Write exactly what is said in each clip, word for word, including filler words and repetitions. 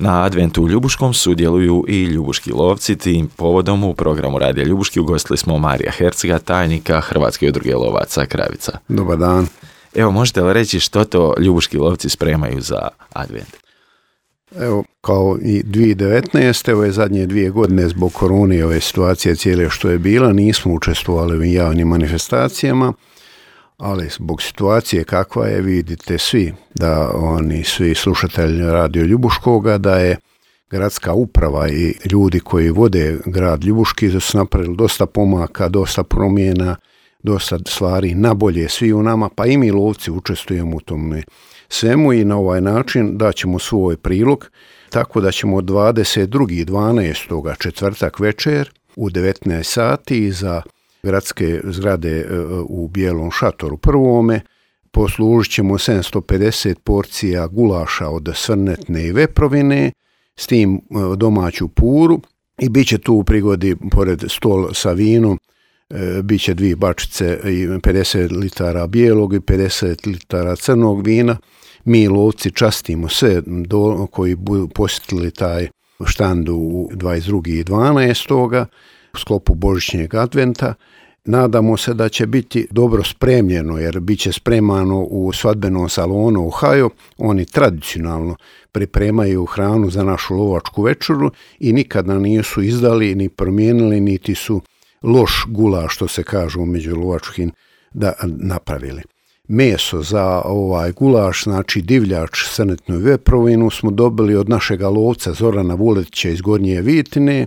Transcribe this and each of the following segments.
Na adventu u Ljubuškom sudjeluju i ljubuški lovci. Tim povodom u programu Radija Ljubuški ugostili smo Marija Hercega, tajnika Hrvatske udruge lovaca Kravica. Dobar dan. Evo, možete li reći što to ljubuški lovci spremaju za advent? Evo, kao i dvije tisuće devetnaeste. ove zadnje dvije godine zbog korone i ove situacije cijele što je bila, nismo učestvovali u javnim manifestacijama, ali zbog situacije kakva je, vidite svi da oni svi slušatelji Radio Ljubuškoga, da je gradska uprava i ljudi koji vode grad Ljubuški da su napravili dosta pomaka, dosta promjena, dosta stvari na bolje svi u nama, pa i mi lovci učestvujemo u tome svemu i na ovaj način daćemo svoj prilog, tako da ćemo dvadeset drugog dvanaestog četvrtak večer u devetnaest sati za gradske zgrade u Bijelom šatoru prvome poslužit ćemo sedamsto pedeset porcija gulaša od srnetne i veprovine, s tim domaću puru, i bit će tu u prigodi pored stol sa vinom, bit će dvije bačice i pedeset litara bijelog i pedeset litara crnog vina. Mi lovci častimo sve do, koji budu posjetili taj štand u dvadeset drugog dvanaestog u sklopu Božićnjeg adventa. Nadamo se da će biti dobro spremljeno, jer bit će spremano u svadbenom salonu u Haju. Oni tradicionalno pripremaju hranu za našu lovačku večeru i nikada nisu izdali ni promijenili, niti su loš gulaš, što se kažu među lovačkim, da napravili. Meso za ovaj gulaš, znači divljač, srnetnu i veprovinu, smo dobili od našega lovca Zorana Vuletića iz Gornje Vitine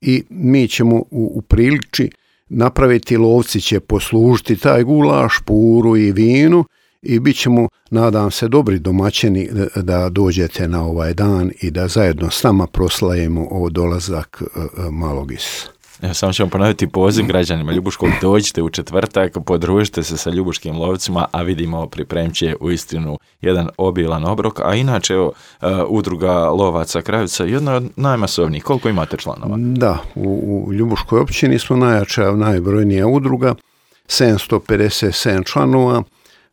i mi ćemo u, u priliči napraviti, lovci će poslužiti taj gulaš, puru i vinu i bit ćemo, nadam se, dobri domaćini da, da dođete na ovaj dan i da zajedno s nama proslavimo o dolazak uh, malog Isusa. Evo, samo ćemo ponoviti poziv građanima Ljubuškog, dođite u četvrtak, podružite se sa ljubuškim lovcima, a vidimo pripremit će uistinu jedan obilan obrok, a inače evo, uh, udruga lovaca Kravica, jedna od najmasovnijih. Koliko imate članova? Da, u, u Ljubuškoj općini smo najjača, najbrojnija udruga, sedamsto pedeset sedam članova.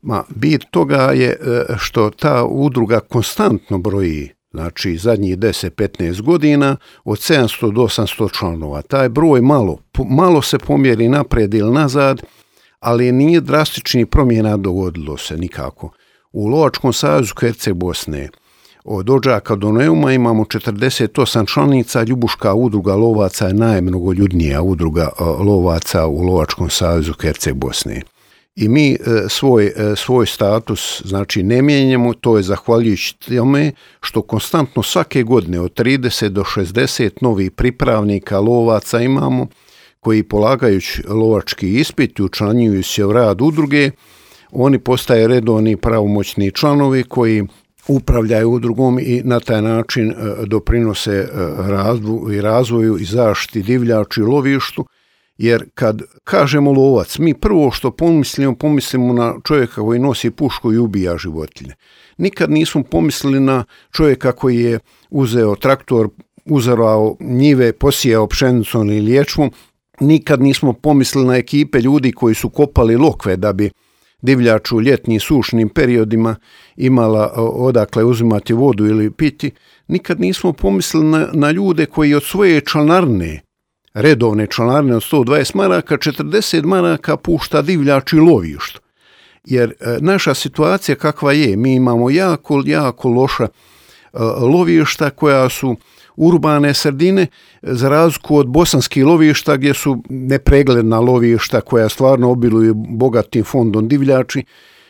Ma, bit toga je što ta udruga konstantno broji, znači zadnjih deset do petnaest godina, od sedamsto do osamsto članova. Taj broj malo, malo se pomjeri naprijed ili nazad, ali nije drastičnih promjena dogodilo se nikako. U Lovačkom savezu Herceg Bosne od Odžaka do Neuma imamo četrdeset osam članica. Ljubuška udruga lovaca je najmnogoljudnija udruga lovaca u Lovačkom savezu Herceg Bosne. I mi svoj, svoj status, znači, ne mijenjamo, to je zahvaljujući tome što konstantno svake godine od trideset do šezdeset novih pripravnika lovaca imamo, koji polagajući lovački ispit i učlanjuju se u rad udruge, oni postaju redovni pravomoćni članovi koji upravljaju udrugom i na taj način doprinose razvoju i razvoju i zaštiti divljači i lovištu. Jer kad kažemo lovac, mi prvo što pomislimo, pomislimo na čovjeka koji nosi pušku i ubija životinje. Nikad nismo pomislili na čovjeka koji je uzeo traktor, uzorao njive, posijao pšenicom ili ječmom. Nikad nismo pomislili na ekipe ljudi koji su kopali lokve da bi divljač u ljetnim sušnim periodima imala odakle uzimati vodu ili piti. Nikad nismo pomislili na, na ljude koji od svoje članarne, redovne članarine od sto dvadeset maraka, četrdeset maraka pušta divljač i lovištu. Jer e, naša situacija kakva je, mi imamo jako, jako loša e, lovišta koja su urbane sredine, za razliku od bosanskih lovišta gdje su nepregledna lovišta koja stvarno obiluju bogatim fondom divljači.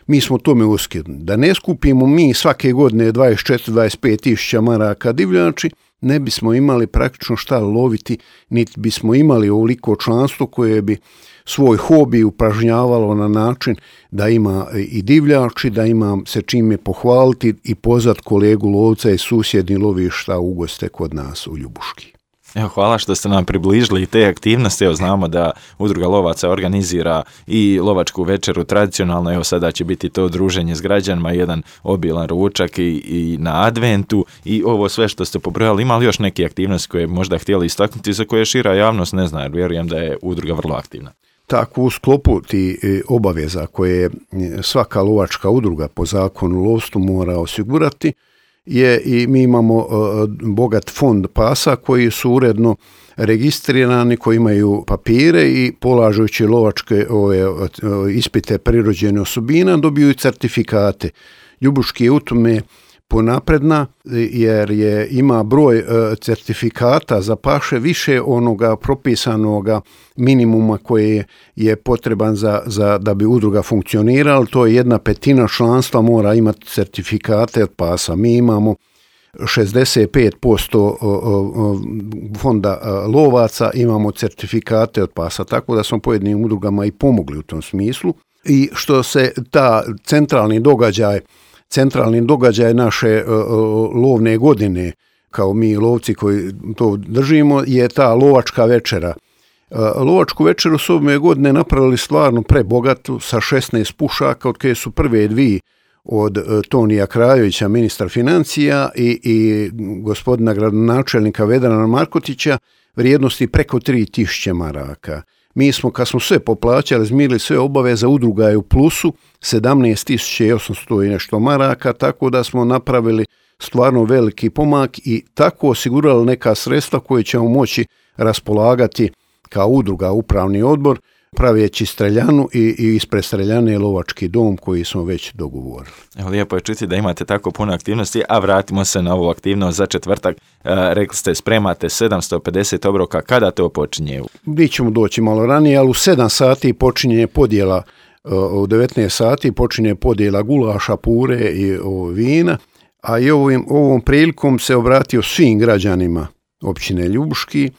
Mi smo tome uskidni. Da ne skupimo mi svake godine dvadeset četiri do dvadeset pet tisuća maraka divljači, ne bismo imali praktično šta loviti, niti bismo imali ovoliko članstvo koje bi svoj hobi upražnjavalo na način da ima i divljači, da ima se čime pohvaliti i pozvat kolegu lovca iz susjednih lovišta u goste kod nas u Ljubuški. Evo, hvala što ste nam približili te aktivnosti. Evo, znamo da udruga lovaca organizira i lovačku večeru tradicionalno. Evo, sada će biti to druženje s građanima, jedan obilan ručak i, i na adventu i ovo sve što ste pobrojali. Ima li još neke aktivnosti koje možda htjeli istaknuti za koje šira javnost ne zna, jer vjerujem da je udruga vrlo aktivna? Tako, u sklopu ti obaveza koje svaka lovačka udruga po zakonu lovstvu mora osigurati, je i mi imamo uh, bogat fond pasa koji su uredno registrirani, koji imaju papire i polažući lovačke ove, uh, ispite prirođene osobina dobiju certifikate. Ljubuški je u tome ponapredna jer je ima broj uh, certifikata za paše više onoga propisanoga minimuma koji je potreban za, za da bi udruga funkcionirala. To je jedna petina članstva mora imati certifikate od pasa. Mi imamo šezdeset pet posto fonda lovaca, imamo certifikate od pasa, tako da smo pojedinim udrugama i pomogli u tom smislu. I što se ta centralni događaj Centralni događaj naše uh, lovne godine, kao mi lovci koji to držimo, je ta lovačka večera. Uh, lovačku večeru su ove godine napravili stvarno prebogatu sa šesnaest pušaka, od koje su prve dvije od uh, Tonija Krajovića, ministra financija, i, i gospodina gradonačelnika Vedrana Markotića, vrijednosti preko tri tisuće maraka. Mi smo, kad smo sve poplaćali, izmirili sve obaveze, udruga je u plusu, sedamnaest tisuća osamsto i nešto maraka, tako da smo napravili stvarno veliki pomak i tako osigurali neka sredstva koje ćemo moći raspolagati kao udruga, upravni odbor, pravijeći streljanu i, i ispred streljane lovački dom koji smo već dogovorili. Evo, lijepo je čuti da imate tako puno aktivnosti, a vratimo se na ovu aktivnost za četvrtak. E, rekli ste, spremate sedamsto pedeset obroka, kada to počinje? Mi ćemo doći malo ranije, ali u sedam sati počinje podjela, u devetnaest sati počinje podjela gulaša, pure i o, vina, a i ovim, ovom prilikom se obratio svim građanima općine Ljubuški.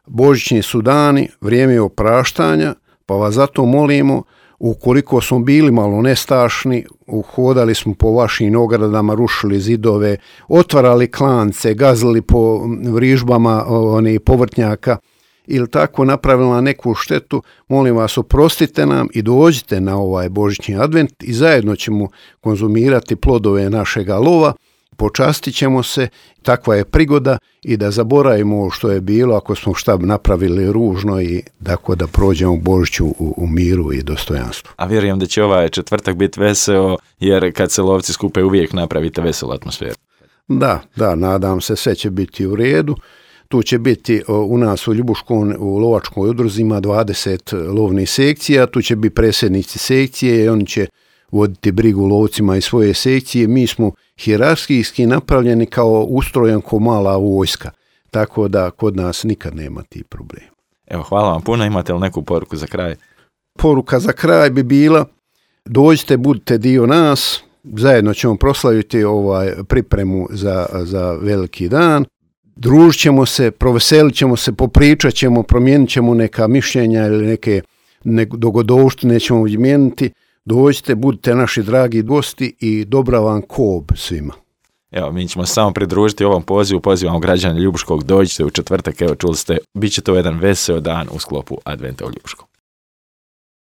Božićni su dani, vrijeme je opraštanja, pa vas zato molimo, ukoliko smo bili malo nestašni, uhodali smo po vašim ogradama, rušili zidove, otvarali klance, gazili po vrižbama one, povrtnjaka ili tako napravila neku štetu, molim vas, oprostite nam i dođite na ovaj Božićni advent i zajedno ćemo konzumirati plodove našega lova, počastit ćemo se, takva je prigoda i da zaboravimo što je bilo ako smo šta napravili ružno i tako da prođemo Božiću u, u miru i dostojanstvu. A vjerujem da će ovaj četvrtak biti veseo, jer kad se lovci skupe uvijek napravite veselu atmosferu. Da, da, nadam se, sve će biti u redu. Tu će biti u nas u Ljubuškom, u lovačkoj udruzi ima dvadeset lovnih sekcija, tu će biti predsjednici sekcije i oni će voditi brigu lovcima i svoje sekcije. Mi smo hijerarhijski napravljeni kao ustrojen ko mala vojska, tako da kod nas nikad nema tih problema. Evo, hvala vam puno. Imate li neku poruku za kraj? Poruka za kraj bi bila, dođite, budite dio nas, zajedno ćemo proslaviti ovaj pripremu za, za veliki dan. Družit ćemo se, proveselit ćemo se, popričat ćemo, promijenit ćemo neka mišljenja ili neke ne, dogodovštine ćemo izmijeniti. Dođite, budite naši dragi gosti i dobra vam kob svima. Evo, mi ćemo samo pridružiti ovom pozivu, pozivamo građane Ljubuškog, dođite u četvrtak, evo čuli ste, bit će to jedan veseo dan u sklopu Adventa u Ljubuškom.